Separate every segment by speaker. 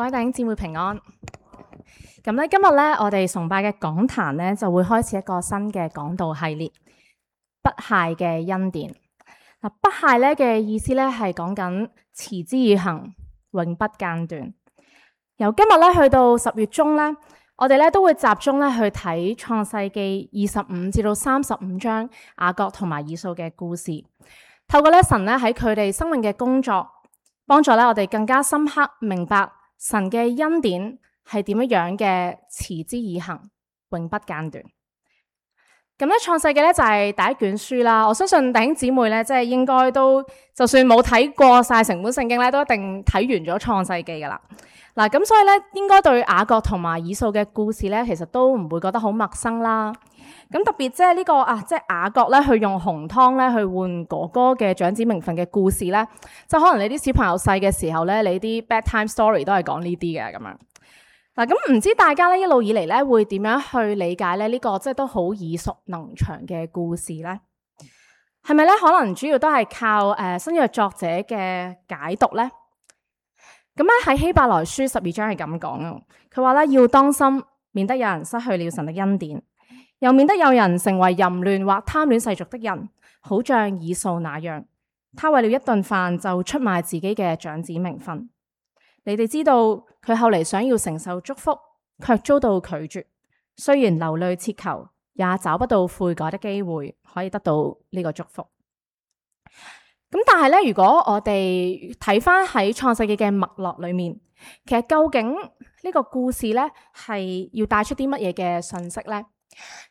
Speaker 1: 各位弟兄姊妹平安。咁咧，今日咧，我哋崇拜嘅講壇咧就會開始一個新嘅講道系列，不懈嘅恩典。嗱，不懈咧嘅意思咧係講緊持之以恆，永不間斷。由今日咧去到10月中咧，我哋咧都會集中咧去睇創世記25至到35章雅各同埋以掃嘅故事。透過咧神咧喺佢哋生命嘅工作，幫助咧我哋更加深刻明白神嘅恩典係點樣嘅持之以恆，永不間斷。咁咧創世記咧就係第一卷書啦。我相信弟兄姊妹咧即係應該都就算冇睇過晒成本聖經咧，都一定睇完咗創世記噶啦。嗱，咁所以咧應該對雅各同埋以掃嘅故事咧，其實都唔會覺得好陌生啦。咁特別即係呢個即係雅各咧去用紅湯咧去換哥哥嘅長子名分嘅故事咧，就可能你啲小朋友細嘅時候咧，你啲 bedtime story 都係講呢啲嘅咁樣。嗱，咁唔知大家咧一路以嚟咧會點樣去理解咧呢個即係都好耳熟能詳嘅故事咧？係咪咧可能主要都係靠新約作者嘅解讀咧？咁咧喺希伯來書12章係咁講啊，佢話咧要當心，免得有人失去了神的恩典，又免得有人成為淫亂或貪戀世俗的人，好像以掃那樣，他為了一頓飯就出賣自己嘅長子名分。你哋知道佢後嚟想要承受祝福，卻遭到拒絕。雖然流淚切求，也找不到悔改的機會，可以得到呢個祝福。咁但係咧，如果我哋睇翻喺創世記嘅脈絡裏面，其實究竟呢個故事咧係要帶出啲乜嘢嘅信息咧？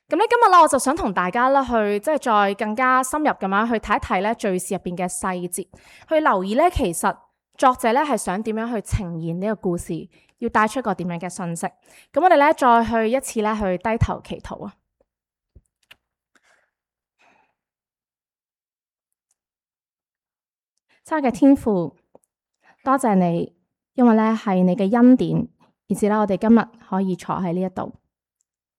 Speaker 1: 咁咧今日咧，我就想同大家咧去即係再更加深入咁樣去睇一睇咧敘事入邊嘅細節，去留意咧其實作者咧係想點樣去呈現呢個故事，要帶出一個點樣嘅信息。咁我哋咧再去一次咧去低頭祈禱啊！親愛嘅天父，多謝你，因為咧係你嘅恩典，以至咧我哋今日可以坐喺呢一度。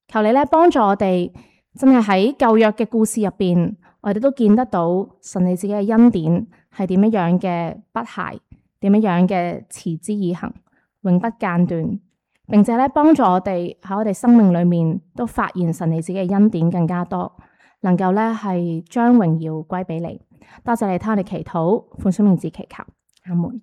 Speaker 1: 求你咧幫助我哋，真係喺舊約嘅故事入邊，我哋都見得到神你自己嘅恩典係點樣嘅不懈，點樣嘅持之以恆，永不間斷，並且咧幫助我哋喺我哋生命裏面都發現神你自己嘅恩典更加多，能夠咧係將榮耀歸俾你。多謝你聽我哋祈禱，奉主名字祈求，阿門。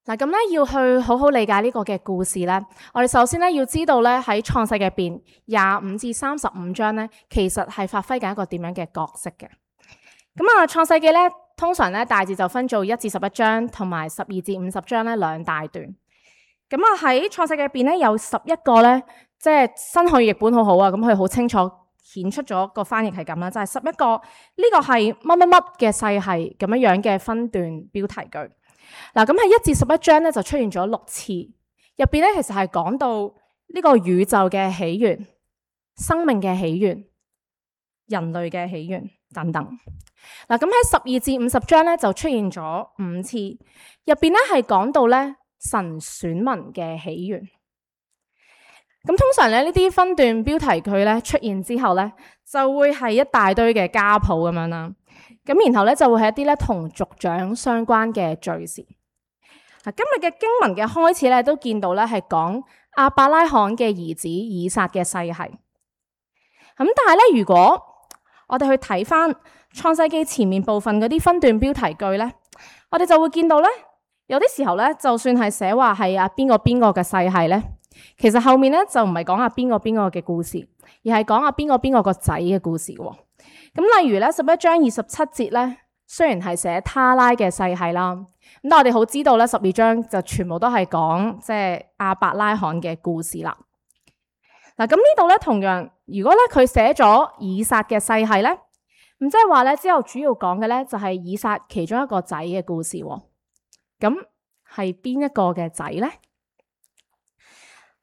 Speaker 1: 嗱，咁咧要去好好理解呢個嘅故事咧，我哋首先咧要知道咧喺創世記入邊25至35章咧，其實係發揮緊一個點樣嘅角色嘅。咁創世記咧通常咧大致就分做1至11章同埋12至50章咧兩大段。咁喺創世記入邊咧有11個咧，即係新漢語譯本好好啊，咁佢好清楚顯出咗個翻譯係咁啦，就係11個呢個係乜乜乜嘅細係咁樣嘅分段標題句。嗱，咁喺1至11章咧就出現咗6次，入邊咧其實係講到呢個宇宙嘅起源、生命嘅起源、人類嘅起源等等。嗱，咁喺12至50章咧就出現咗5次，入邊咧係講到咧神選民嘅起源。咁通常咧呢啲分段標題句咧出現之後咧，就會係一大堆嘅家譜咁樣啦。咁然後咧就會係一啲咧同族長相關嘅敘事。嗱，今日嘅經文嘅開始咧都見到咧係講亞伯拉罕嘅兒子以撒嘅世系。咁但係咧，如果我哋去睇翻創世記前面部分嗰啲分段標題句咧，我哋就會見到咧有啲時候咧，就算係寫話係邊個嘅世系咧，其實後面咧就唔係講邊個嘅故事，而係講邊個個仔嘅故事喎。咁例如咧11章27節咧，雖然係寫他拉嘅世系啦，咁但我哋好知道咧12章就全部都係講即係亞伯拉罕嘅故事啦。嗱，咁呢度咧同樣，如果咧佢寫咗以撒嘅世系咧，咁即係話咧之後主要講嘅咧就係以撒其中一個仔嘅故事喎。咁係邊一個嘅仔咧？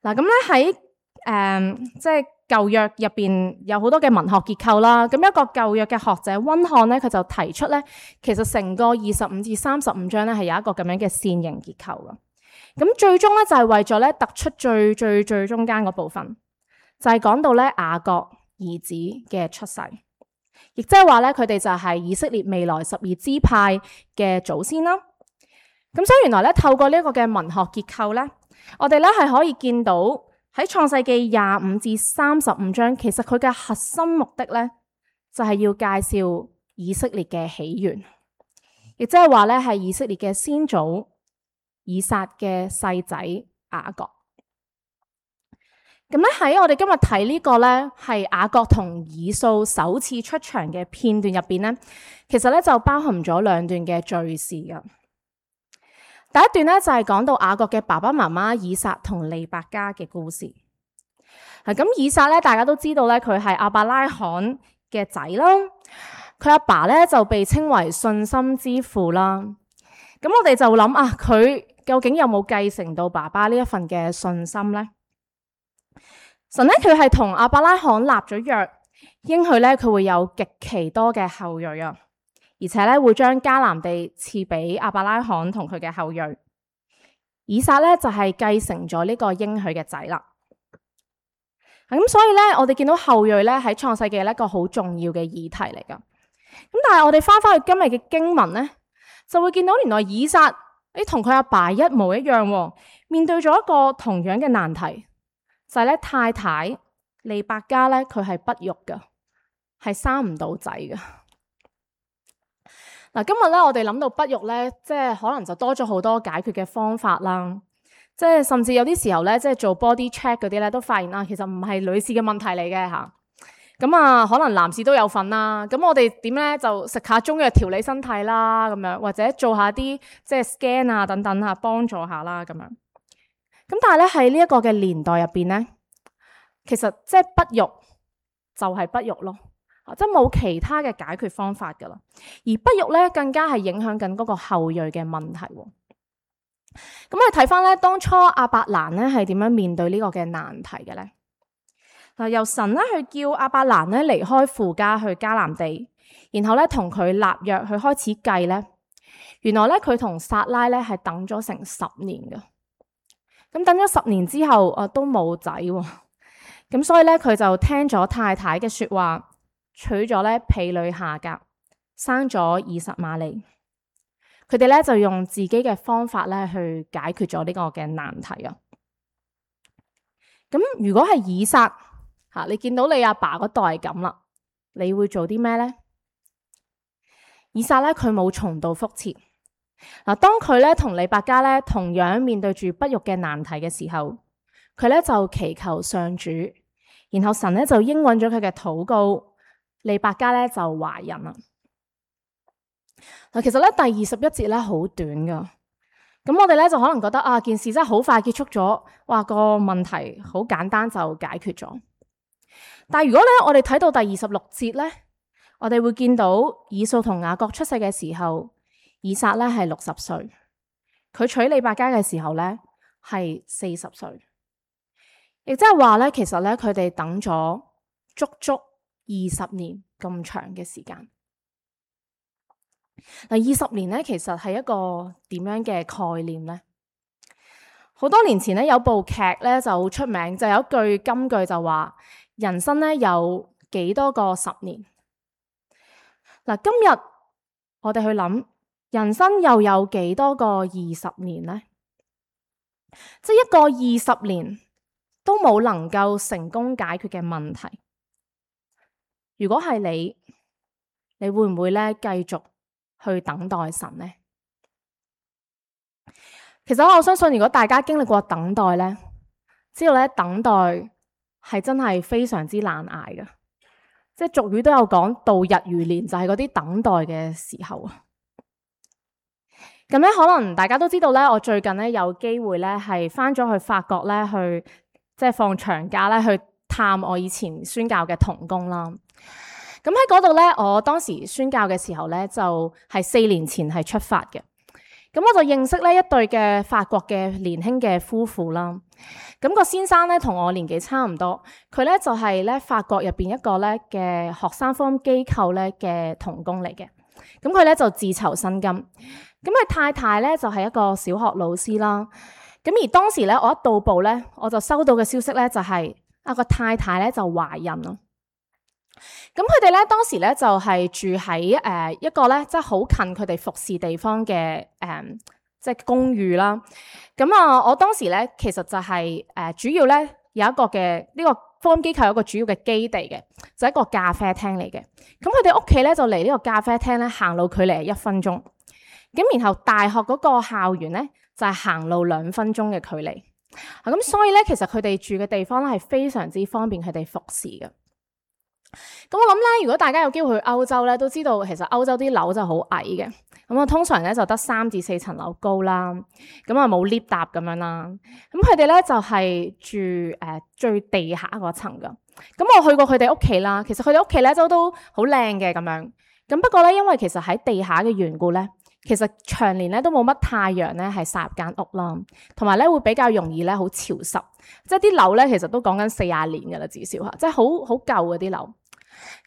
Speaker 1: 嗱，咁咧喺即係舊約入邊有好多嘅文學結構啦。咁一個舊約嘅學者溫漢咧，佢就提出咧，其實成個25至35章咧係有一個咁樣嘅線形結構噶。咁最終咧就係為咗咧突出最中間嗰部分，就係講到咧雅各兒子嘅出世，亦即係話咧佢哋就係以色列未來12支派嘅祖先啦。咁所以原來咧，透過呢一個嘅文學結構咧，我哋咧係可以見到喺創世記25至35章，其實佢嘅核心目的咧就係要介紹以色列嘅起源，亦即係話咧係以色列嘅先祖以撒嘅細仔雅各。咁咧喺我哋今日睇呢個咧係雅各同以掃首次出場嘅片段入邊咧，其實咧就包含咗兩段嘅敘事噶。第一段咧就係講到雅各嘅爸爸媽媽以撒同利百加嘅故事。咁以撒咧大家都知道咧佢係亞伯拉罕嘅仔啦，佢阿爸咧就被稱為信心之父啦。咁我哋就諗啊，佢究竟有冇繼承到爸爸呢一份嘅信心咧？神咧佢係同亞伯拉罕立咗約，應許咧佢會有極其多嘅後裔啊，而且咧會將迦南地賜俾亞伯拉罕同佢嘅後裔。以撒咧就係繼承咗呢個應許嘅仔啦。咁所以咧，我哋見到後裔咧喺創世記一個好重要嘅議題嚟噶。咁但係我哋翻返去今日嘅經文咧，就會見到原來以撒同佢阿爸一模一樣，面對咗一個同樣嘅難題。就係咧，太太利百加咧，佢係不育噶，係生唔到仔噶。嗱，今日咧，我哋諗到不育咧，即係可能就多咗好多解決嘅方法啦。即係甚至有啲時候咧，即係做 body check 嗰啲咧，都發現其實唔係女士嘅問題嚟嘅吓。咁啊，可能男士都有份啦。咁我哋點咧就食下中藥調理身體啦，咁樣或者做下啲即係 scan 啊等等啊，幫助下啦咁樣。咁但係咧喺呢一個嘅年代入邊咧，其實即係不育就係不育咯，即係冇其他嘅解決方法噶啦。而不育咧更加係影響緊嗰個後裔嘅問題。咁我哋睇翻咧當初亞伯蘭咧係點樣面對呢個嘅難題嘅咧？嗱，由神咧去叫亞伯蘭咧離開父家去迦南地，然後咧同佢立約去開始計咧，原來咧佢同撒拉咧係等咗成10年噶。咁等咗10年之後，都冇仔喎。咁所以咧，佢就聽咗太太嘅說話，娶咗咧婢女夏甲，生咗以實瑪利。佢哋咧就用自己嘅方法咧去解決咗呢個嘅難題啊。咁如果係以撒吓，你見到你阿爸嗰代係咁啦，你會做啲咩咧？以撒咧佢冇重蹈覆轍。嗱，當佢咧同利百加咧同樣面對住不育嘅難題嘅時候，佢咧就祈求上主，然後神咧就應允咗佢嘅禱告，利百加咧就懷孕啦。嗱，其實咧第21節咧好短噶，咁我哋咧就可能覺得件事真係好快結束咗，哇，個問題好簡單就解決咗。但係如果咧我哋睇到第26節咧，我哋會見到以掃同雅各出世嘅時候，以撒咧係60歲，佢娶利百加嘅時候咧係40歲，亦即係話咧，其實咧佢哋等咗足足20年咁長嘅時間。嗱，20年咧其實係一個點樣嘅概念咧？好多年前咧有部劇咧就好出名，就有一句金句就話：人生咧有幾多個10年？嗱，今日我哋去諗。人生又有幾多個20年呢？即係一個20年都冇能夠成功解決嘅問題。如果係你會唔會咧繼續去等待神呢？其實我相信，如果大家經歷過等待咧，知道咧等待係真係非常之難捱嘅。即係俗語都有講，度日如年，就係嗰啲等待嘅時候啊。咁咧，可能大家都知道咧，我最近咧有機會咧係翻咗去法國咧，去即係放長假咧去探我以前宣教嘅同工啦。咁喺嗰度咧，我當時宣教嘅時候咧，就係4年前係出發嘅。咁我就認識咧一對嘅法國嘅年輕嘅夫婦啦。咁個先生咧同我年紀差唔多，佢咧就係咧法國入邊一個咧嘅學生福音機構咧嘅同工嚟嘅。咁佢咧就自籌薪金。咁佢太太咧就係一個小學老師啦。咁而當時咧我一到埗咧，我就收到嘅消息咧就係個太太咧就懷孕咯。咁佢哋咧當時咧就係住喺一個咧即係好近佢哋服侍地方嘅即即係公寓啦。咁我當時咧其實就係主要咧有一個嘅呢個福音機構有一個主要嘅基地嘅，就係一個咖啡廳嚟嘅。咁佢哋屋企咧就離呢個咖啡廳咧行路距離係1分鐘。咁然後大學嗰個校園咧就係行路2分鐘嘅距離。咁所以咧其實佢哋住嘅地方咧係非常之方便佢哋服侍嘅。咁我諗咧，如果大家有機會去歐洲咧，都知道其實歐洲啲樓就好矮嘅。咁通常咧就得3至4層樓高啦。咁冇 lift 搭咁樣啦。咁佢哋咧就係住最地下嗰層噶。咁我去過佢哋屋企啦，其實佢哋屋企咧都好靚嘅咁樣。咁不過咧，因為其實喺地下嘅緣故咧，其實長年咧都冇乜太陽咧係曬入間屋啦，同埋咧會比較容易咧好潮濕。即係啲樓咧其實都講緊40年噶啦，至少即係好舊嗰啲樓。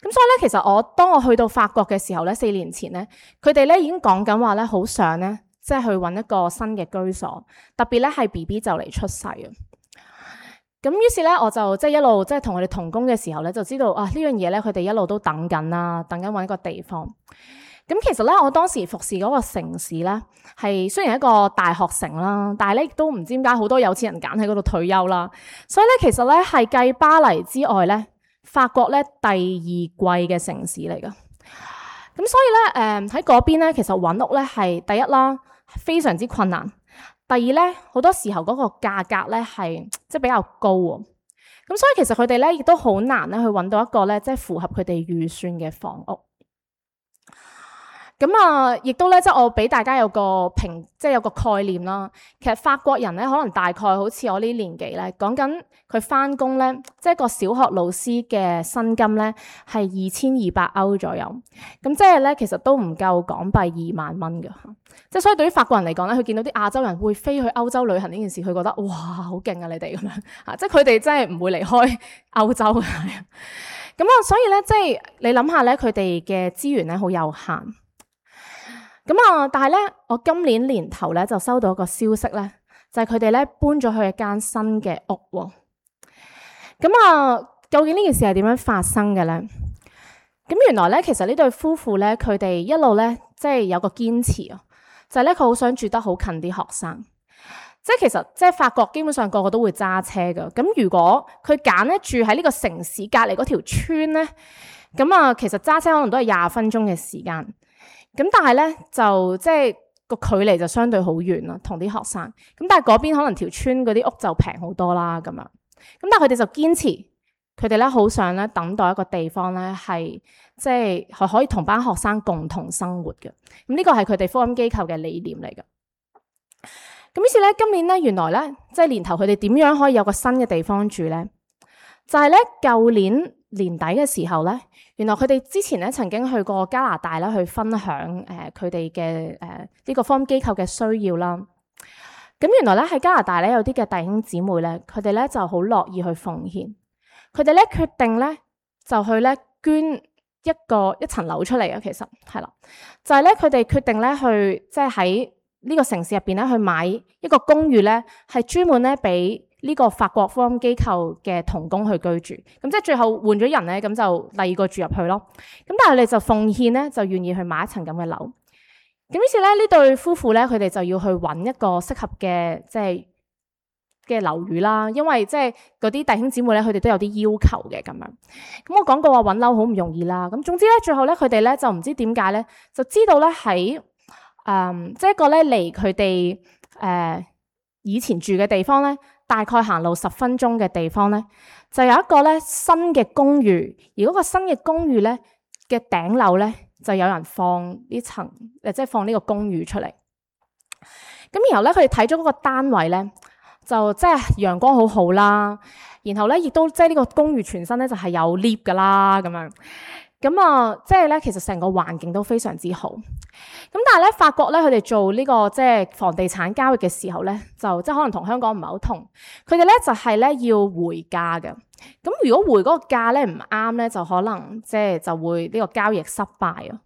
Speaker 1: 咁所以咧，其實當我去到法國嘅時候咧，4年前咧，佢哋咧已經講緊話咧，好想咧，即係去揾一個新嘅居所，特別咧係 BB 就嚟出世啊。咁於是咧，我就即係一路即係同佢哋同工嘅時候咧，就知道呢樣嘢咧，佢哋一路都等緊啦，等緊揾一個地方。咁其實咧，我當時服侍嗰個城市咧，係雖然係一個大學城啦，但係咧亦都唔知點解好多有錢人揀喺嗰度退休啦。所以咧，其實咧係繼巴黎之外咧，法國咧第2貴嘅城市嚟噶，咁所以咧喺嗰邊咧，其實揾屋咧係第一啦，非常之困難；第二咧，好多時候嗰個價格咧係即係比較高喎。咁所以其實佢哋咧亦都好難咧去揾到一個咧即係符合佢哋預算嘅房屋。咁亦都咧，即係我俾大家有個即係有個概念啦。其實法國人咧，可能大概好似我呢年紀咧，講緊佢返工咧，即係個小學老師嘅薪金咧係2200歐左右。咁即係咧，其實都唔夠港幣2萬蚊㗎。即係所以對於法國人嚟講咧，佢見到啲亞洲人會飛去歐洲旅行呢件事，佢覺得哇好勁啊！你哋咁樣嚇，即係佢哋真係唔會離開歐洲嘅。咁所以咧，即係你諗下咧，佢哋嘅資源咧好有限。但係咧，我今年年頭咧就收到一個消息咧，就係佢哋咧搬咗去一間新嘅屋喎。究竟呢件事係點樣發生嘅咧？咁原來咧，其實呢對夫婦咧，佢哋一路咧即係有個堅持啊，就係咧佢好想住得好近啲學生。即係其實即係法國基本上個個都會揸車噶。咁如果佢揀咧住喺呢個城市隔離嗰條村咧，其實揸車可能都係20分鐘嘅時間。咁但係咧就即係個距離就相對好遠啦，同啲學生。咁但係嗰邊可能條村嗰啲屋就平好多啦咁樣。咁但係佢哋就堅持，佢哋咧好想咧等待一個地方咧係即係可以同班學生共同生活嘅。咁呢個係佢哋福音機構嘅理念嚟嘅。咁於是咧今年咧原來咧即係年頭佢哋點樣可以有個新嘅地方住咧？就係咧舊年年底嘅時候咧，原來佢哋之前咧曾經去過加拿大啦，去分享佢哋嘅呢個福音機構嘅需要啦。咁原來咧喺加拿大咧有啲嘅弟兄姊妹咧，佢哋咧就好樂意去奉獻，佢哋咧決定咧就去咧捐一層樓出嚟啊。其實係啦，就係咧佢哋決定咧去即係喺呢個城市入邊咧去買一個公寓咧，係專門咧俾呢個法國福音機構嘅同工去居住。咁即係最後換咗人咧，咁就第二個住入去咯。咁但係你就奉獻咧，就願意去買一層咁嘅樓。咁於是咧呢對夫婦咧，佢哋就要去揾一個適合嘅即係嘅樓宇啦。因為即係嗰啲弟兄姊妹咧，佢哋都有啲要求嘅咁樣。咁我講過話揾樓好唔容易啦。咁總之咧，最後咧佢哋咧就唔知點解咧，就知道咧喺即係一個咧離佢哋以前住嘅地方咧，大概行路10分鐘嘅地方咧，就有一個咧新嘅公寓。而嗰個新嘅公寓咧嘅頂樓咧，就有人放呢層即係放呢個公寓出嚟。咁然後咧，佢哋睇咗嗰個單位咧，就即係陽光好好啦。然後咧，亦都即係呢個公寓全身咧就係有 lift 噶啦咁樣。咁即係咧，其實成個環境都非常之好。咁但係咧，法國咧，佢哋做呢個即係房地產交易嘅時候咧，就即係可能同香港唔係好同。佢哋咧就係咧要回價嘅。咁如果回嗰個價咧唔啱咧，就可能即係就會呢個交易失敗啊。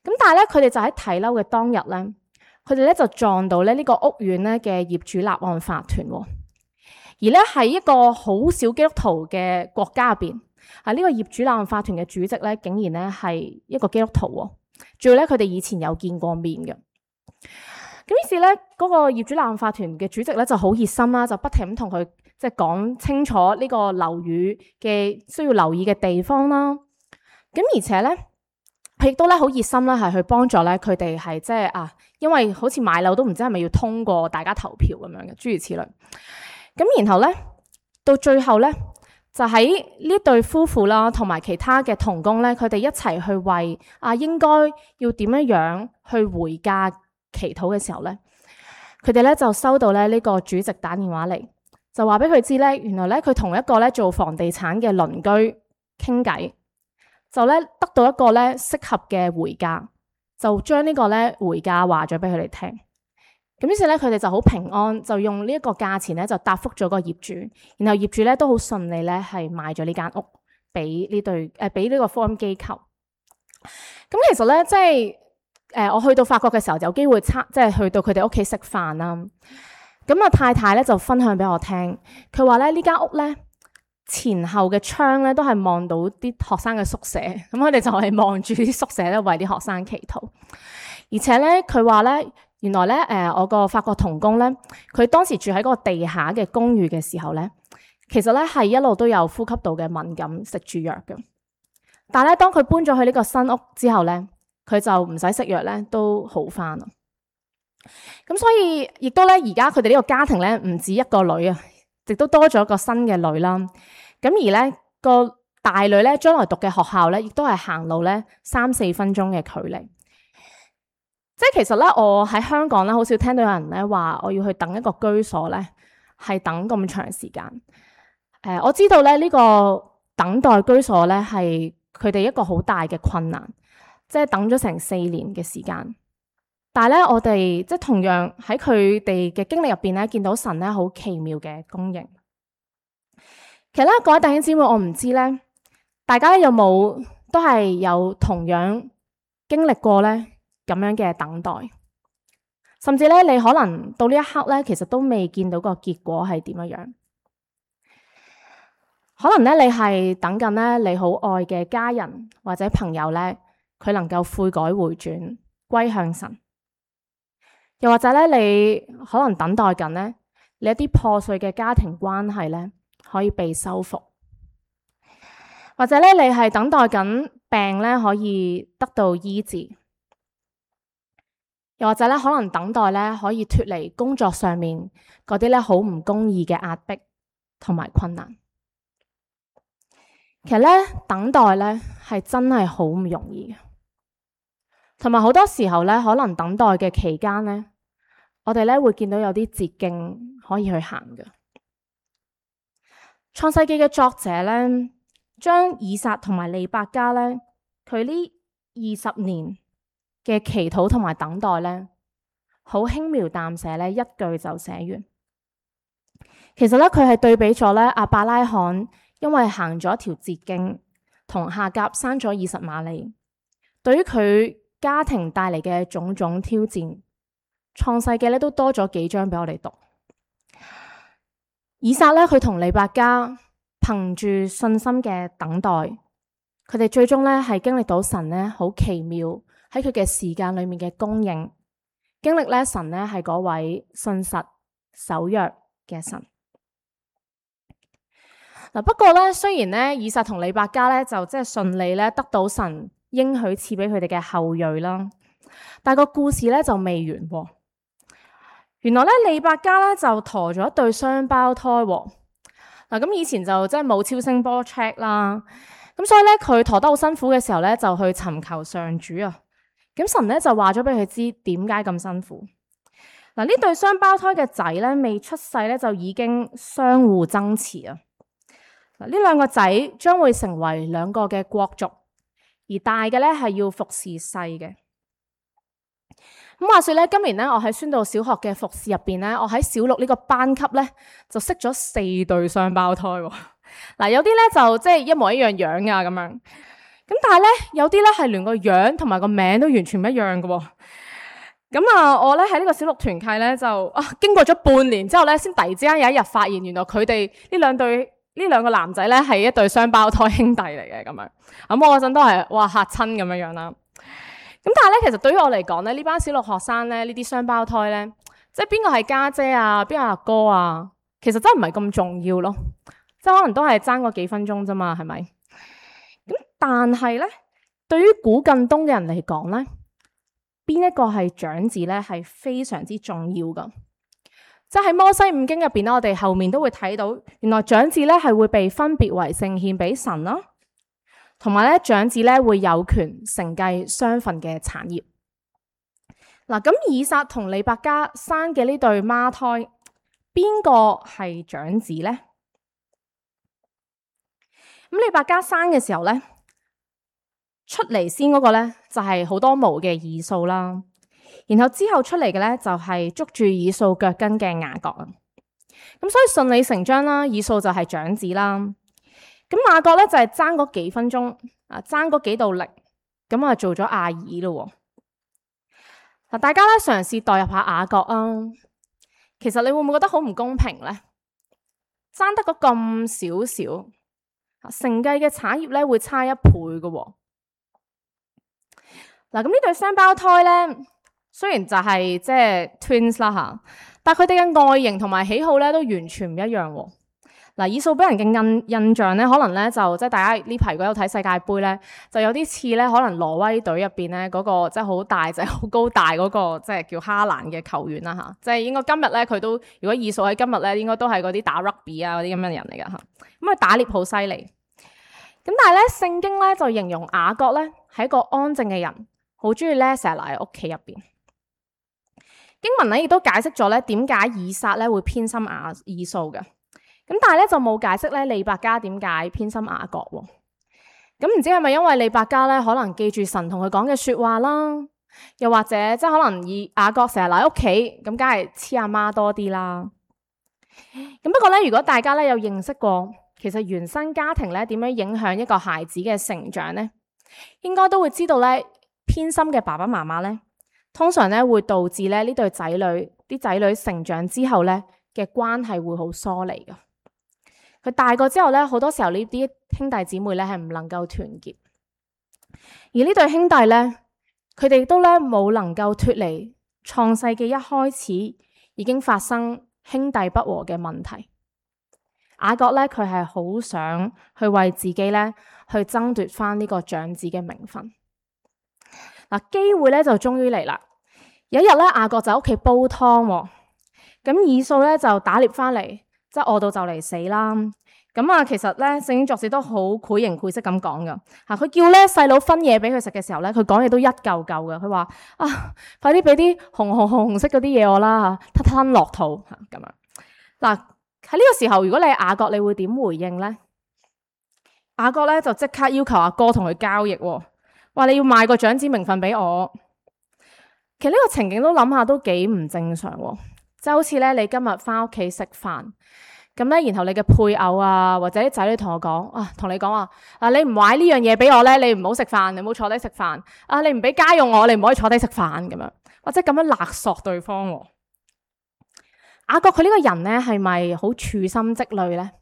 Speaker 1: 咁但係咧，佢哋就喺睇樓嘅當日咧，佢哋咧就撞到咧呢個屋苑咧嘅業主立案法團。而咧喺一個好少基督徒嘅國家入邊。呢個業主立案法團嘅主席咧，竟然咧係一個基督徒喎。仲要咧，佢哋以前有見過面嘅。咁於是咧，嗰個業主立案法團嘅主席咧就好熱心啦，就不停咁同佢即係講清楚呢個樓宇嘅需要留意嘅地方啦。咁而且咧，佢亦都咧好熱心啦，係去幫助咧佢哋係即係因為好似買樓都唔知係咪要通過大家投票咁樣嘅，諸如此類。咁然後咧，到最後咧，就喺呢對夫婦啦，同埋其他嘅同工咧，佢哋一齊去為應該要點樣樣去回家祈禱嘅時候咧，佢哋咧就收到咧呢個主席打電話嚟，就話俾佢知咧，原來咧佢同一個咧做房地產嘅鄰居傾偈，就咧得到一個咧適合嘅回價，就將呢個咧回價話咗俾佢哋聽。咁於是咧佢哋就好平安，就用呢一個價錢咧就答覆咗個業主，然後業主咧都好順利咧係賣咗呢間屋俾呢個福音機構。咁其實咧即係我去到法國嘅時候，有機會即係去到佢哋屋企食飯啦。咁太太咧就分享俾我聽，佢話咧呢間屋咧前後嘅窗咧都係望到啲學生嘅宿舍，咁佢哋就係望住啲宿舍咧為啲學生祈禱。而且咧佢話咧原來咧我個法國同工咧，佢當時住喺嗰個地下嘅公寓嘅時候咧，其實咧係一路都有呼吸道嘅敏感，食住藥嘅。但係咧當佢搬咗去呢個新屋之後咧，佢就唔使食藥咧，都好翻啦。咁所以亦都咧，而家佢哋呢個家庭咧，唔止一個女啊，亦都多咗個新嘅女啦。咁而咧個大女咧，將來讀嘅學校咧，亦都係行路咧3-4分鐘嘅距離。即係其實咧，我喺香港咧，好少聽到有人咧話我要去等一個居所咧，係等咁長時間。我知道咧呢個等待居所咧係佢哋一個好大嘅困難。即係等咗成4年嘅時間，但係咧，我哋即係同樣喺佢哋嘅經歷入邊咧，見到神咧好奇妙嘅供應。其實咧，各位弟兄姊妹，我唔知咧，大家有冇都係有同樣經歷過咧咁樣嘅等待，甚至咧你可能到呢一刻咧，其實都未見到個結果係點樣。可能咧你係等緊咧你好愛嘅家人或者朋友咧，佢能夠悔改回轉歸向神，又或者咧你可能等待緊咧你一啲破碎嘅家庭關係咧可以被修復，或者咧你係等待緊病咧可以得到醫治，又或者咧可能等待咧可以脫離工作上面嗰啲咧好唔公義嘅壓迫同埋困難。其實咧等待咧係真係好唔容易嘅。同埋好多時候咧，可能等待嘅期間咧，我哋咧會見到有啲捷徑可以去行嘅。創世記嘅作者咧，將以撒同埋利百加咧，佢呢20年嘅祈禱同埋等待咧，好輕描淡寫咧，一句就寫完。其實咧，佢係對比咗咧亞伯拉罕因為行咗一條捷徑，同夏甲生咗以實瑪利，對於佢家庭帶嚟嘅種種挑戰，創世記咧都多咗幾章俾我哋讀。以撒咧，佢同利百加憑住信心嘅等待，佢哋最終咧係經歷到神咧好奇妙喺佢嘅時間裏面嘅供應，經歷咧神咧係嗰位信實守約嘅神。嗱，不過咧雖然咧以撒同利百加咧就即係順利咧得到神應許賜俾佢哋嘅後裔啦，但個故事咧就未完喎。原來咧利百加咧就駝咗一對雙胞胎喎。嗱，咁以前就即係冇超聲波 check 啦，咁所以咧佢駝得好辛苦嘅時候咧就去尋求上主啊。咁神咧就話咗俾佢知點解咁辛苦。嗱，呢對雙胞胎嘅仔咧未出世咧就已經相互爭持啊。嗱，呢兩個仔將會成為兩個嘅國族。而大嘅咧係要服侍細嘅。咁話說咧，今年咧我喺宣道小學嘅服侍入邊咧，我喺小六呢個班級咧就識咗4對雙胞胎。嗱，有啲咧就即係一模一樣樣啊咁樣，咁但係咧有啲咧係連個樣同埋個名都完全唔一樣嘅。咁我咧喺呢個小六團契咧就經過咗半年之後咧，先突然之間有一日發現，原來佢哋呢兩個男仔咧係一對雙胞胎兄弟嚟嘅咁樣。咁我嗰陣都係哇嚇親咁樣啦。咁但係咧，其實對於我嚟講咧，呢班小六學生咧，呢啲雙胞胎咧，即係邊個係家姐啊，邊個阿哥啊，其實真係唔係咁重要咯。即係可能都係爭嗰幾分鐘啫嘛，係咪？咁但係咧，對於古近東嘅人嚟講咧，邊一個係長子咧，係非常之重要噶。即係喺摩西五經入邊咧，我哋後面都會睇到，原來長子咧係會被分別為聖獻俾神啦。同埋咧，長子咧會有權承繼雙份嘅產業。嗱，咁以撒同利百加生嘅呢對孖胎，邊個係長子咧？咁利百加生嘅時候咧，出嚟先嗰個咧就係好多毛嘅以掃啦，然後之後出嚟嘅咧就係捉住以掃腳跟嘅雅各啊。咁所以順理成章啦，以掃就係長子啦。咁雅各咧就係爭嗰幾分鐘啊，爭嗰幾道力，咁啊做咗阿爾咯。嗱，大家咧嘗試代入下雅各啊，其實你會唔會覺得好唔公平咧？爭得嗰咁少少，承繼嘅產業咧會差1倍嘅。嗱，咁呢對雙胞胎咧，雖然就係即係 twins 啦吓，但係佢哋嘅外形同埋喜好咧都完全唔一樣。嗱，以掃俾人嘅印象咧，可能咧就即係大家呢排如果有睇世界盃咧，就有啲似咧，可能挪威隊入邊咧嗰個即係好大隻、好高大嗰個即係叫哈蘭嘅球員啦吓，即係應該今日咧佢都，如果以掃喺今日咧，應該都係嗰啲打 rugby 啊嗰啲咁嘅人嚟噶吓，咁啊打獵好犀利。咁但係咧聖經咧就形容雅各咧係一個安靜嘅人，好中意咧成日留喺屋企入邊。經文咧亦都解釋咗咧點解以撒咧會偏心以掃嘅。咁但係咧就冇解釋咧利百加點解偏心雅各喎？咁唔知係咪因為利百加咧可能記住神同佢講嘅說話啦，又或者即係可能雅各成日留喺屋企，咁梗係黐阿媽多啲啦。咁不過咧，如果大家咧有認識過，其實原生家庭咧點樣影響一個孩子嘅成長咧，應該都會知道咧偏心嘅爸爸媽媽咧，通常咧會導致咧呢對仔女成長之後咧嘅關係會好疏離噶。佢大個之後咧，好多時候呢啲兄弟姊妹咧係唔能夠團結，而呢對兄弟咧，佢哋都咧冇能夠脫離創世記一開始已經發生兄弟不和嘅問題。雅各咧，佢係好想去為自己咧去爭奪翻呢個長子嘅名分。嗱，機會咧就終於嚟啦。有一日咧，雅各就喺屋企煲湯，咁以掃咧就打獵翻嚟。即係餓到就嚟死啦，咁啊，其實咧聖經作者都好繪形繪色咁講噶吓，佢叫咧細佬分嘢俾佢食嘅時候咧，佢講嘢都一嚿嚿噶，佢話啊，快啲俾啲紅色嗰啲嘢我啦吓，吞落肚吓咁樣。嗱，喺呢個時候，如果你係雅各，你會點回應咧？雅各咧就即刻要求阿哥同佢交易，話你要賣個長子名分俾我。其實呢個情景都諗下都幾唔正常。即係好似咧，你今日翻屋企食飯，咁咧，然後你嘅配偶啊，或者啲仔女同我講啊，同你講話啊，你唔買呢樣嘢俾我咧，你唔好食飯，你唔好坐低食飯。啊，你唔俾家用我，你唔可以坐低食飯咁樣，或者咁樣勒索對方。雅各佢呢個人咧，係咪好處心積慮咧？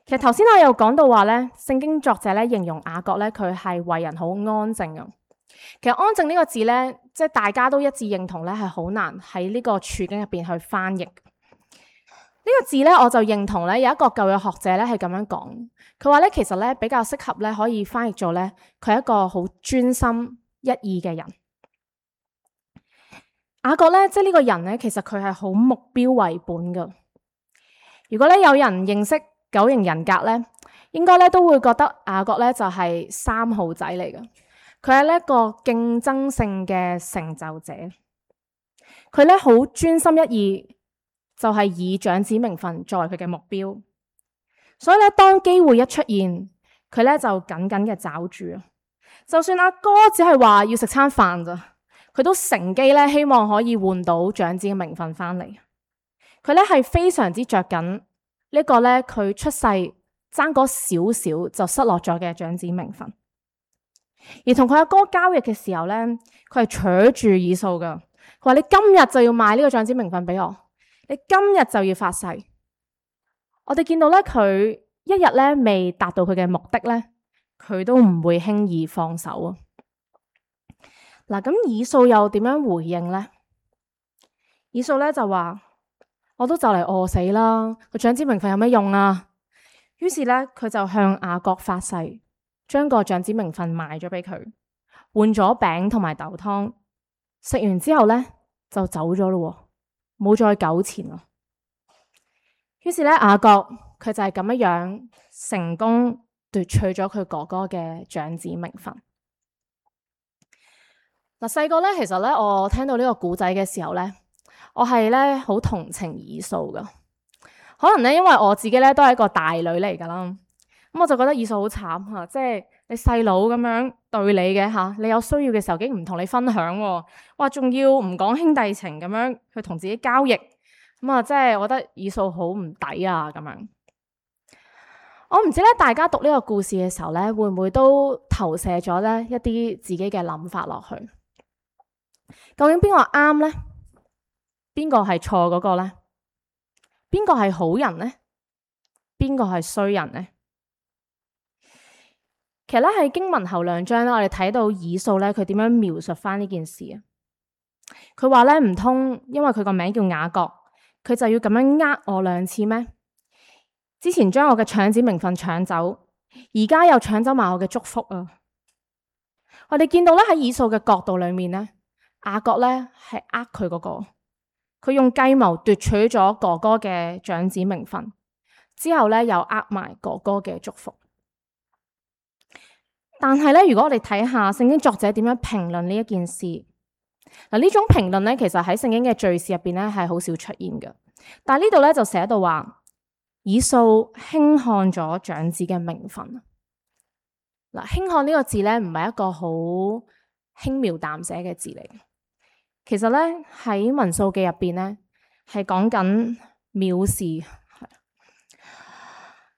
Speaker 1: 其實頭先我有講到話咧，聖經作者咧形容雅各咧，佢係為人好安靜啊。其實安靜呢個字咧，即係大家都一致認同咧，係好難喺呢個處境入邊去翻譯。呢個字咧，我就認同咧，有一個舊約學者咧係咁樣講，佢話咧其實咧比較適合咧可以翻譯做咧，佢係一個好專心一意嘅人。雅各咧，即係呢個人咧，其實佢係好目標為本噶。如果咧有人認識九型人格咧，應該咧都會覺得雅各咧就係3號仔嚟噶。佢係一個競爭性嘅成就者，佢咧好專心一意，就係以長子名分作為佢嘅目標。所以咧，當機會一出現，佢咧就緊緊嘅抓住。就算阿哥只係話要食餐飯咋，佢都乘機咧希望可以換到長子嘅名分翻嚟。佢咧係非常之着緊呢個咧，佢出世爭嗰少少就失落咗嘅長子名分。而同佢阿哥交易嘅時候咧，佢係扯住以掃噶，佢話你今日就要賣呢個長子名分俾我，你今日就要發誓。我哋見到咧，佢一日咧未達到佢嘅目的咧，佢都唔會輕易放手啊。嗱，咁以掃又點樣回應呢？以掃咧就話：我都就嚟餓死啦，個長子名分有咩用啊？於是咧，佢就向雅各發誓，將個長子名分賣咗俾佢，換咗餅同埋豆湯。食完之後咧，就走咗咯，冇再糾纏咯。於是咧，雅各佢就係咁樣成功奪取咗佢哥哥嘅長子名分。嗱，細個咧，其實咧，我聽到呢個故仔嘅時候咧，我係咧好同情以掃噶。可能咧，因為我自己咧都係一個大女嚟噶啦，咁我就覺得以掃好慘吓，即係你細佬咁樣對你嘅吓，你有需要嘅時候竟然唔同你分享，哇，仲要唔講兄弟情咁樣去同自己交易，咁啊，即係我覺得以掃好唔抵啊咁樣。我唔知咧，大家讀呢個故事嘅時候咧，會唔會都投射咗咧一啲自己嘅諗法落去？究竟邊個啱咧？邊個係錯嗰個咧？邊個係好人咧？邊個係衰人咧？其實咧喺經文後2章咧，我哋睇到以掃咧佢點樣描述翻呢件事啊？佢話咧，唔通因為佢個名叫雅各，佢就要咁樣我2次咩？之前將我嘅長子名分搶走，而家又搶走埋我嘅祝福啊！我哋見到咧喺以掃嘅角度裏面咧，雅各咧係佢嗰個，佢用計謀奪取咗哥哥嘅長子名分，之後咧又埋哥哥嘅祝福。但係咧，如果我哋睇下聖經作者點樣評論呢一件事，嗱，呢種評論咧，其實喺聖經嘅敘事入邊咧係好少出現嘅。但係呢度咧就寫到話，以掃輕看咗長子嘅名分。嗱，輕看呢個字咧唔係一個好輕描淡寫嘅字嚟，其實咧喺民數記入邊咧係講緊藐視。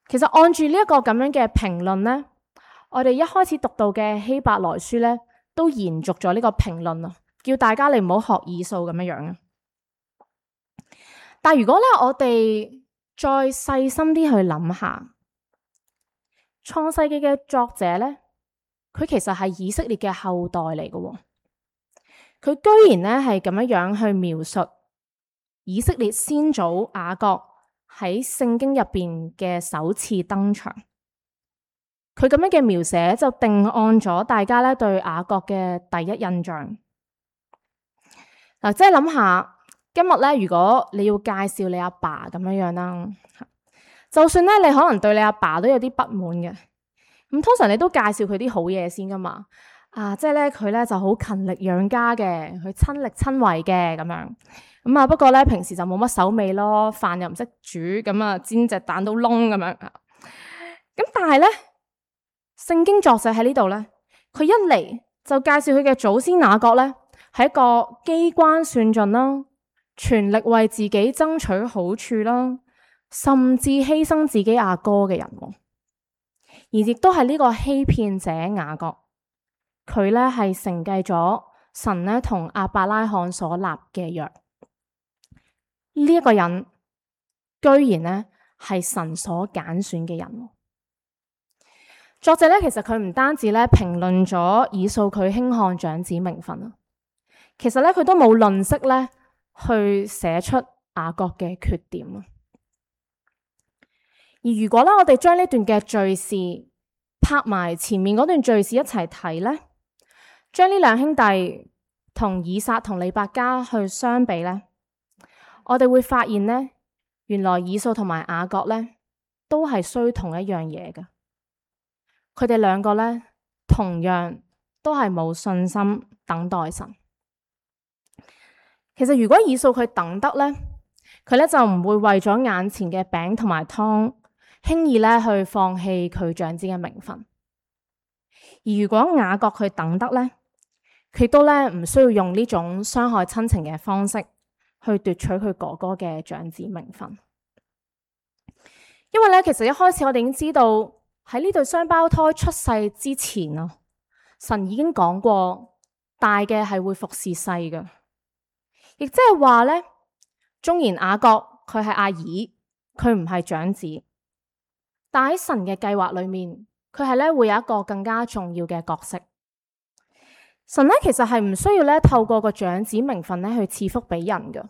Speaker 1: 其實按住呢一個咁樣嘅評論咧，我哋一開始讀到嘅希伯來書咧，都延續咗呢個評論啊，叫大家你唔好學以掃咁樣樣啊。但如果咧，我哋再細心啲去諗下，創世記嘅作者咧，佢其實係以色列嘅後代嚟嘅，佢居然咧係咁樣樣去描述以色列先祖雅各喺聖經入邊嘅首次登場。佢咁樣嘅描寫就定案咗大家咧對雅各嘅第一印象。嗱，即係諗下今日咧，如果你要介紹你阿爸咁樣樣啦，就算咧你可能對你阿爸都有啲不滿嘅，咁通常你都介紹佢啲好嘢先噶嘛。即係咧佢咧就好勤力養家嘅，佢親力親為嘅咁樣。咁啊，不過咧平時就冇乜手尾咯，飯又唔識煮，咁啊煎隻蛋都燶咁樣。咁但係咧，聖經作者喺呢度咧，佢一嚟就介紹佢嘅祖先雅各咧，係一個機關算盡啦，全力為自己爭取好處啦，甚至犧牲自己阿哥嘅人，而亦都係呢個欺騙者雅各，佢咧係承繼咗神咧同亞伯拉罕所立嘅約。呢一個人居然咧係神所揀選嘅人。作者咧，其實佢唔單止咧評論咗以掃佢輕看長子名分啊，其實咧佢都冇吝嗇咧去寫出雅各嘅缺點啊。而如果咧我哋將呢段嘅敘事拍埋前面嗰段敘事一齊睇咧，將呢兩兄弟同以撒同利百加去相比咧，我哋會發現咧，原來以掃同埋雅各咧都係衰同一樣嘢㗎。佢哋兩個咧，同樣都係冇信心等待神。其實如果以掃佢等得咧，佢咧就唔會為咗眼前嘅餅同埋湯，輕易咧去放棄佢長子嘅名分。而如果雅各佢等得咧，佢都咧唔需要用呢種傷害親情嘅方式去奪取佢哥哥嘅長子名分。因為咧，其實一開始我哋已經知道。喺呢對雙胞胎出世之前啊，神已經講過，大嘅係會服侍細嘅，亦即係話咧，縱然雅各佢係阿兒，佢唔係長子，但喺神嘅計劃裏面，佢係咧會有一個更加重要嘅角色。神咧其實係唔需要咧透過個長子名分咧去賜福俾人噶，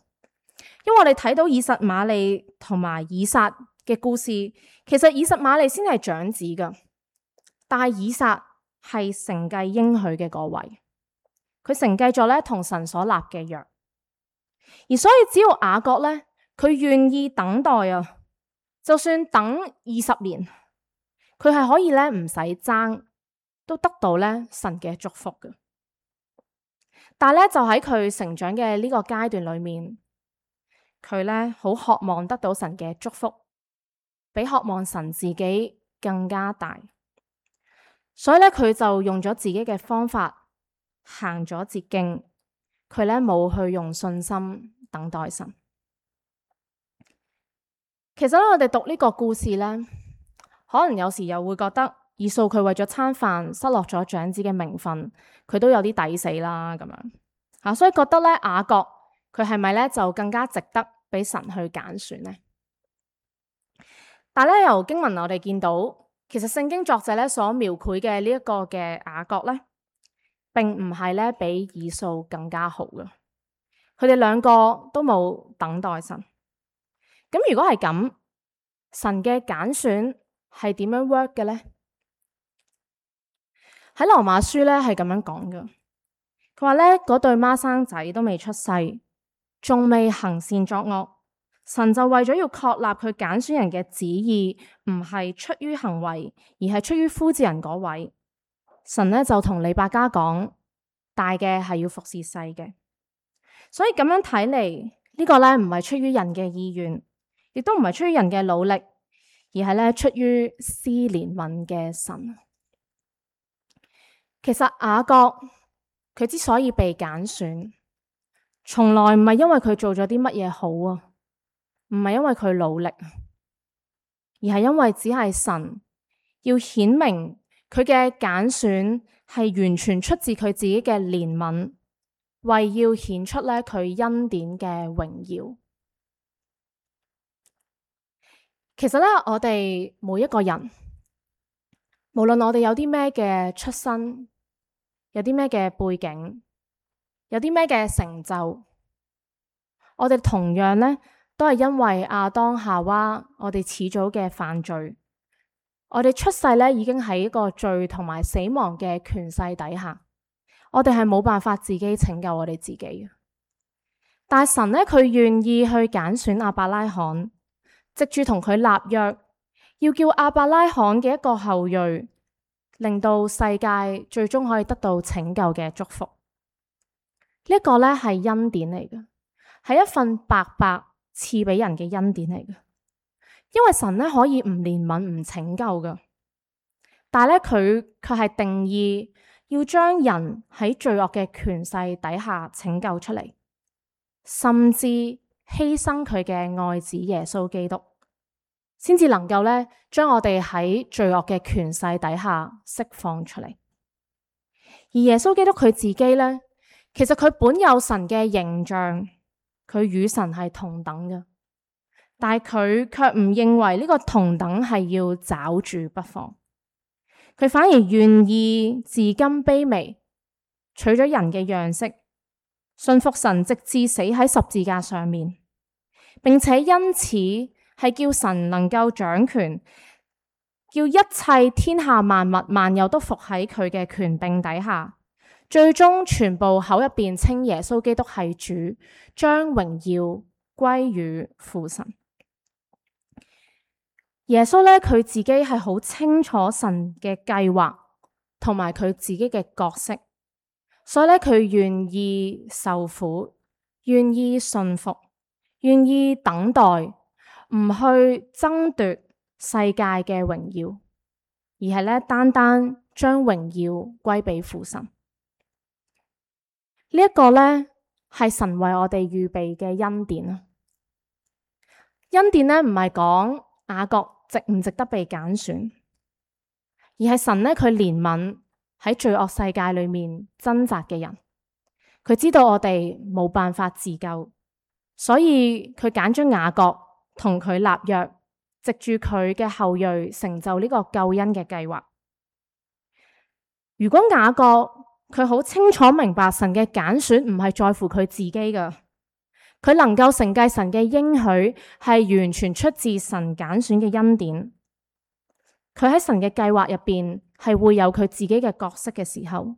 Speaker 1: 因為我哋睇到以實瑪利同埋以撒嘅故事，其實以實瑪利先係長子噶，但係以撒係承繼應許嘅嗰位，佢承繼咗咧同神所立嘅約，而所以只要雅各咧佢願意等待啊，就算等20年，佢係可以咧唔使爭，都得到咧神嘅祝福嘅。但係咧就喺佢成長嘅呢個階段裏面，佢咧好渴望得到神嘅祝福，比渴望神自己更加大，所以咧佢就用咗自己嘅方法，行咗捷徑，佢咧冇去用信心等待神。其實咧我哋讀呢個故事咧，可能有時又會覺得以掃佢為咗餐飯失落咗長子嘅名分，佢都有啲抵死啦咁樣吓，所以覺得咧雅各佢係咪咧就更加值得俾神去揀選呢？但係咧由經文我哋見到，其實聖經作者咧所描繪嘅呢一個嘅雅各咧，並唔係咧比以掃更加好嘅，佢哋兩個都冇等待神。咁如果係咁，神嘅揀選係點樣 work 嘅咧？喺羅馬書咧係咁樣講嘅，佢話咧嗰對孖生仔都未出世，仲未行善作惡，神就為咗要確立佢揀選人嘅旨意，唔係出於行為，而係出於呼召人嗰位。神咧就同利百加講，大嘅係要服侍細嘅，所以咁樣睇嚟，呢個咧唔係出於人嘅意願，亦都唔係出於人嘅努力，而係咧出於施憐憫嘅神。其實雅各佢之所以被揀選，從來唔係因為佢做咗啲乜嘢好啊，唔係因為佢努力，而係因為只係神要顯明佢嘅揀選係完全出自佢自己嘅憐憫，為要顯出咧佢恩典嘅榮耀。其實咧，我哋每一個人，無論我哋有啲咩嘅出身，有啲咩嘅背景，有啲咩嘅成就，我哋同樣咧都係因為亞當夏娃，我哋始祖嘅犯罪，我哋出世咧已經喺一個罪同埋死亡嘅權勢底下，我哋係冇辦法自己拯救我哋自己嘅。但係神咧，佢願意去揀選亞伯拉罕，藉住同佢立約，要叫亞伯拉罕嘅一個後裔，令到世界最終可以得到拯救嘅祝福。呢一個咧係恩典嚟嘅，係一份白白賜俾人嘅恩典嚟嘅。因為神咧可以唔憐憫唔拯救嘅，但係咧佢卻係定義要將人喺罪惡嘅權勢底下拯救出嚟，甚至犧牲佢嘅愛子耶穌基督，先至能夠咧將我哋喺罪惡嘅權勢底下釋放出嚟。而耶穌基督佢自己咧，其實佢本有神嘅形象，佢與神係同等嘅，但係佢卻唔認為呢個同等係要抓住不放，佢反而願意自甘卑微，取咗人嘅樣式，信服神直至死喺十字架上面，並且因此係叫神能夠掌權，叫一切天下萬物萬有都服喺佢嘅權柄底下，最終全部口入邊稱耶穌基督係主，將榮耀歸於父神。耶穌咧，佢自己係好清楚神嘅計劃同埋佢自己嘅角色，所以咧佢願意受苦，願意順服，願意等待，唔去爭奪世界嘅榮耀，而係咧單單將榮耀歸俾父神。呢一個咧係神為我哋預備嘅恩典啊！恩典咧唔係講雅各值唔值得被揀選，而係神咧佢憐憫喺罪惡世界裏面掙扎嘅人，佢知道我哋冇辦法自救，所以佢揀咗雅各同佢立約，藉住佢嘅後裔成就呢個救恩嘅計劃。如果雅各佢好清楚明白神嘅揀選唔係在乎佢自己㗎，佢能夠承繼神嘅應許係完全出自神揀選嘅恩典。佢喺神嘅計劃入邊係會有佢自己嘅角色嘅時候，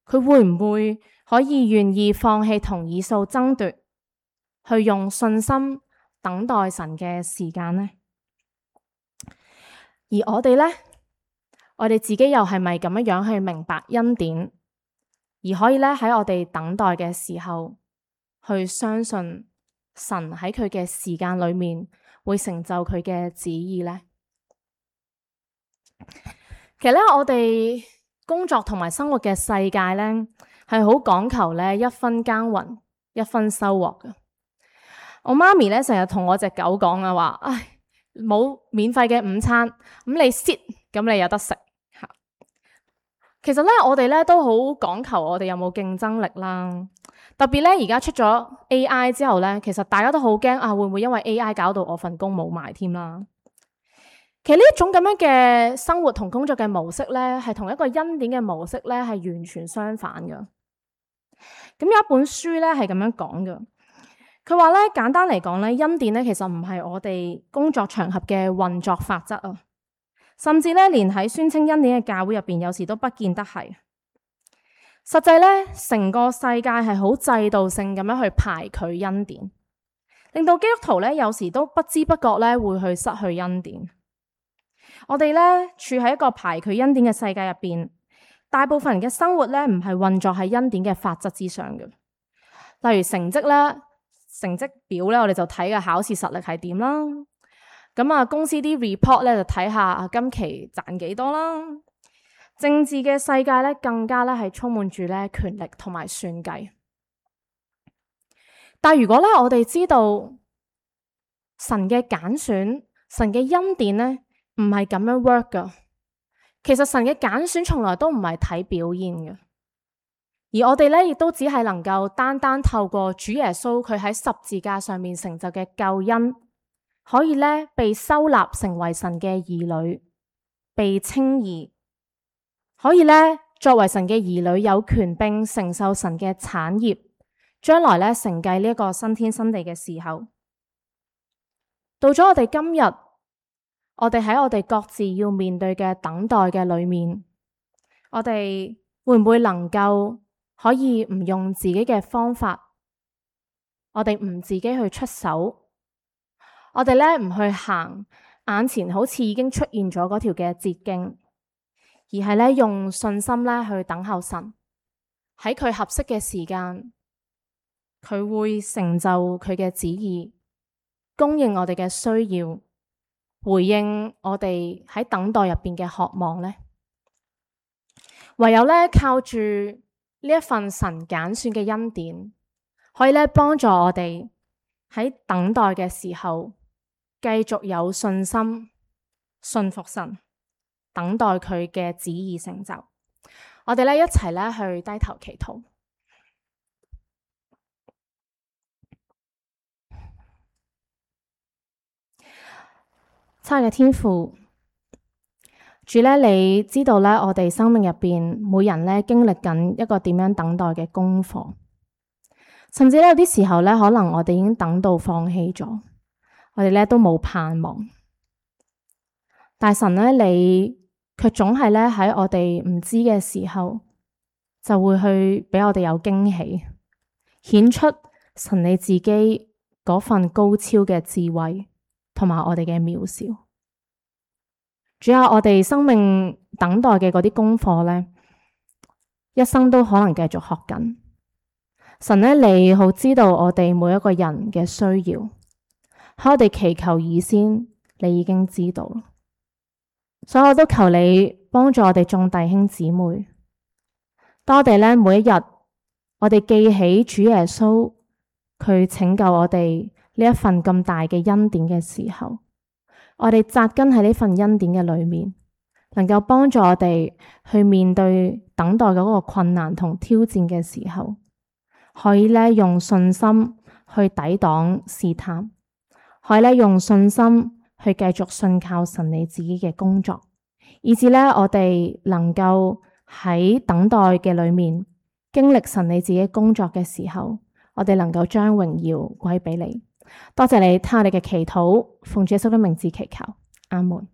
Speaker 1: 佢會唔會可以願意放棄同以掃爭奪，去用信心等待神嘅時間呢？而我哋呢，我哋自己又係咪咁樣去明白恩典，而可以咧喺我哋等待嘅時候，去相信神喺佢嘅時間裏面會成就佢嘅旨意呢？其實咧，我哋工作同埋生活嘅世界咧，係好講求咧一分耕耘一分收穫嘅。我媽咪咧成日同我隻狗講啊，話唉，冇免費嘅午餐，咁你 sit，咁你有得食吓。其實咧，我哋咧都好講求我哋有冇競爭力啦。特別咧，而家出咗 AI 之後咧，其實大家都好驚啊，會唔會因為 AI 搞到我份工冇埋添啦？其實呢一種咁樣嘅生活同工作嘅模式咧，係同一個恩典嘅模式咧，係完全相反嘅。咁有一本書咧係咁樣講嘅，佢話咧簡單嚟講咧，恩典咧其實唔係我哋工作場合嘅運作法則啊，甚至咧連喺宣稱恩典嘅教會入邊，有時都不見得係。實際咧，成個世界係好制度性咁樣去排拒恩典，令到基督徒咧有時都不知不覺咧會去失去恩典。我哋咧處喺一個排拒恩典嘅世界入邊，大部分人嘅生活咧唔係運作喺恩典嘅法則之上嘅。例如成績咧，成績表咧，我哋就睇嘅考試實力係點啦。咁啊，公司啲 report 咧就睇下今期賺幾多啦。政治嘅世界咧更加咧係充滿住咧權力同埋算計。但係如果咧我哋知道神嘅揀選，神嘅恩典咧，唔係咁樣 work 噶。其實神嘅揀選從來都唔係睇表現嘅，而我哋咧亦都只係能夠單單透過主耶穌佢喺十字架上面成就嘅救恩，可以咧被收納成為神嘅兒女，被稱義，可以咧作為神嘅兒女有權並承受神嘅產業，將來咧承繼呢一個新天新地嘅時候，到咗我哋今日。我哋喺我哋各自要面對嘅等待嘅裏面，我哋會唔會能夠可以唔用自己嘅方法，我哋唔自己去出手，我哋咧唔去行眼前好似已經出現咗嗰條嘅捷徑，而係咧用信心咧去等候神，喺佢合適嘅時間，佢會成就佢嘅旨意，供應我哋嘅需要。回應我哋喺等待入邊嘅渴望呢，唯有咧靠住呢一份神揀選嘅恩典，可以咧幫助我哋喺等待嘅時候繼續有信心，信服神，等待佢嘅旨意成就。我哋咧一齊咧去低頭祈禱。親愛嘅天父，主咧，你知道咧，我哋生命入邊每人咧經歷緊一個點樣等待嘅功課，甚至咧有啲時候咧，可能我哋已經等到放棄咗，我哋咧都冇盼望。但神咧，你卻總係咧喺我哋唔知嘅時候，就會去俾我哋有驚喜，顯出神你自己嗰份高超嘅智慧。同埋我哋嘅渺小，主要我哋生命等待嘅嗰啲功課咧，一生都可能繼續學緊。神咧，你好知道我哋每一個人嘅需要，喺我哋祈求以先，你已經知道，所以我都求你幫助我哋眾弟兄姊妹，當我哋咧每一日，我哋記起主耶穌佢拯救我哋呢一份咁大嘅恩典嘅時候，我哋扎根喺呢份恩典嘅裏面，能夠幫助我哋去面對等待嗰個困難同挑戰嘅時候，可以咧用信心去抵擋試探，可以咧用信心去繼續信靠神你自己嘅工作，以至咧我哋能夠喺等待嘅裏面，經歷神你自己工作嘅時候，我哋能夠將榮耀歸俾你。多謝你聽我哋嘅祈禱，奉主耶穌的名字祈求，阿門。